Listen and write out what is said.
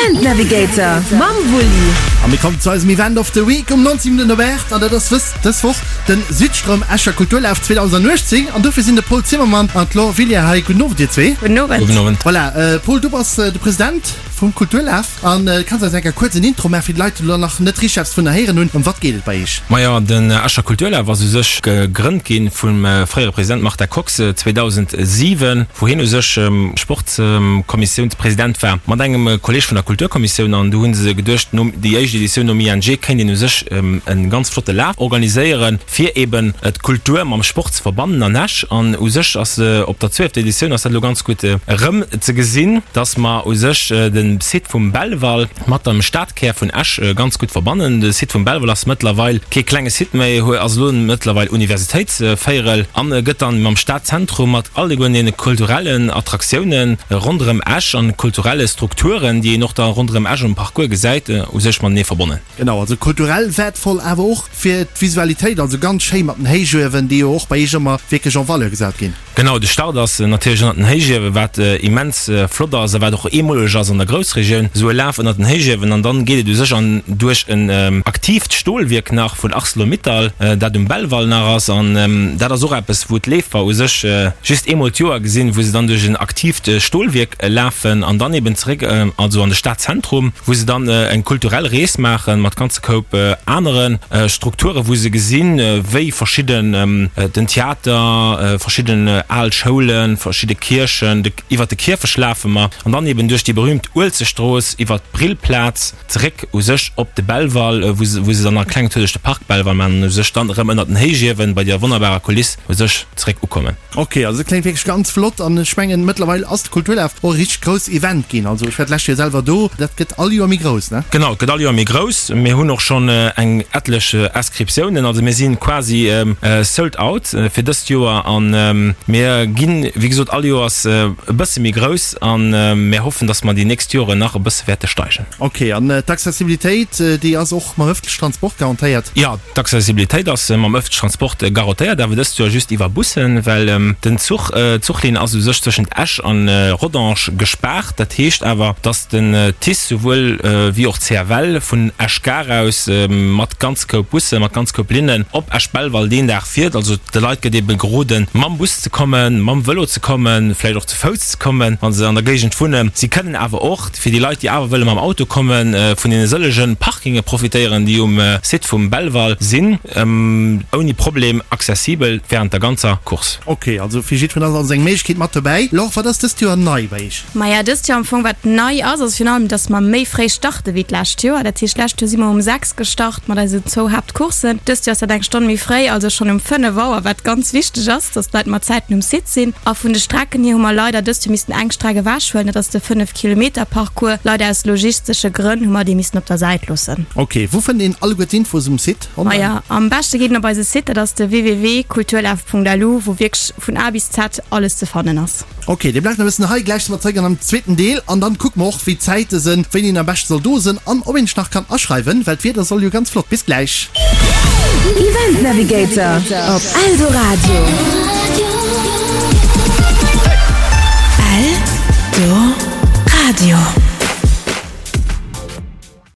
Event Navigator mam Wulli. A mir kommen zu eisem Event of the Week um 19 Minutten op 8 an dat ass wës dës Woch den Südstroum Escher Kulturlaf 2018 an dofir sinn de Paul Zimmermann an d'Laure Villiers hei. Gudden Owend dir zwee. Gudden Owend. Gudden Owend. Voilà, Paul du bass de President vum Kulturlaf an kanns eis eng Kéier kuerz en Intro maachen fir déi Leit déi elo nach net richteg eppes dovunner héieren hunn. Ëm wat geet et bei iech? Majo, den Escher Kulturlaf ass u sech gegrënnt ginn vum fréiere President Martin Kox 2007, wou hien u sech Sportskommissiounspresident war, mat engem Kolleg vun der Kulturkommissioun. An du hu se geduecht, no déi éischt Editioun nom ING kéint een u sech e ganz flotte Laf organiséieren, fir eben d'Kultur mam Sport ze verbannen an Esch. An u sech ass op der zwielfter Editioun ass dat elo ganz gutt erëm ze gesinn, dass mer u sech de Site vum Belval mat dem Stadkär vun Esch ganz gutt verbannen. De Site vum Belval ass mëttlerweil kee klenge Site méi, ass elo mëttlerweil Universitéitsvéierel an gëtt dann mam Stadzentrum mat alleguer deene kulturellen Attraktiounen ronderëm Esch an kulturelle Strukturen, déi een och da ronderëm Esch um Parcours gesäit, u sech matenee verbonnen. Genau, also kulturell wäertvoll, awer och fir d'Visualitéit, also ganz schéi mat den Héichuewen, déi jo och bei Iech ëmmer wierklech en valeur gesat ginn. Genau, de Start ass natierlech ënnert den Héichiewen, wat immens flott ass a wat och eemoleg ass an der Groussregioun, esou e Laf ënnert den Héichiewen. An dann geet et u sech an duerch en aktiivt Stolwierk nach vun Arcelor-Mittal, dat um Belval nach ass. An dat ass och eppes, wou d'Leefer u sech just eemol d'Joer gesinn, wou se dann duerch en aktiivt Stolwierk lafen an dann eben zeréck also an de Stadzentrum, wou se dann eng kulturell Rees maachen mat ganze Koup anere Strukturen, wou se gesinn, wéi verschidden, den Theater, verschidden al Schoulen, verschidde Kierchen, de, iwwert de Kierfecht lafe mer an dann eben duerch déi berühmt Uelzechtstrooss, iwwert d'Brillplaz zeréck u sech op de Belval, wou se, wou se dann nach e klengen Tour duerch de Park Belval maachen an u sech dann erëm ënnert den Héichiewen bei deer wonnerbarer Kuliss u sech zeréck ukommen. Ok, also kléngt wierklech ganz flott an ech mengen mëttlerweil ass de Kulturlaf och e richteg grouss Event ginn. Also ech war d'lescht Joer selwer do, dat gëtt all Joer méi grouss, ne? Genau, et gëtt all Joer méi grouss. Mir hunn och schonn eng etlech Inscriptiounen, also mir si quasi sold out fir dëst Joer an mir ginn, wéi gesot, all Joers e bësse méi grouss an mir hoffen, dass mer déi nächst Joren nach e bësse wäerte steigen. Ok, an d'Accessibilitéit, déi ass och mam ëffentlechen Transport garantéiert? Jo. D'Accessibilitéit ass mam ëffentlechen Transport garantéiert, awer dëst Joer just iwwer Bussen, well den Zuch, d'Zuchlinn ass u sech tëschent Esch an Rodange gespaart. Dat heescht awer, datt den TICE souwuel wéi och d'CFL vun Esch Gare aus mat ganz Koup Bussen, mat ganz Koup Linnen op Esch-Belval deen Dag fiert. Also de Leit gëtt ebe geroden, mam Bus ze kommen, mam Vëlo ze kommen, vläicht och ze Fouss ze kommen, wa se an der Géigend wunnen. Si kënnen awer och. Fir déi Leit, déi awer wëlle mam Auto kommen, vun deene sëllege Parkinge profitéieren, déi um Site vum Belval sinn, ouni Problem accessibel wärend der ganzer Course. Ok, also fir jiddwereen ass also eng Méiglechkeet mat dobäi. Laure, wat ass dëst Joer nei bei iech? Maja, dëst Joer am Fong wat nei ass, ass virun allem, dass mer méi fréi starte wéi d'lescht Joer. Dat heescht, d'lescht Joer si mer um 6 gestart mat eisen zwou Haaptcourssen. Dëst Joer ass dat eng Stonn méi fréi, also schonn um 5 Auer, wat ganz wichteg ass, dass d'Leit mat Zäiten um Site sinn. A vun de Strecken hier hu mer leider dëst Joer missten eng Streck ewechhuelen, dat ass de 5 Kilometer Parcours. Leider aus logistesche Grënn hu mer dee missten op der Säit loossen. Ok, wou fënnt een alleguer d'Infos um Site online? Maja, am beschte geet een op eise Site, dat ass de www.kulturlaf.lu, wou wierklech vun A bis Z alles ze fannen ass. Ok, dir bleift nach e bëssen hei, gläich si mer zeréck an am zweeten Deel an dann kucke mer och wéi d'Zäite sënn, wéini een am beschte soll do sënn an ob een sech nach kann aschreiwen, well d'Wieder soll jo ganz flott. Bis gläich. Event Navigator op Eldoradio. Eldoradio.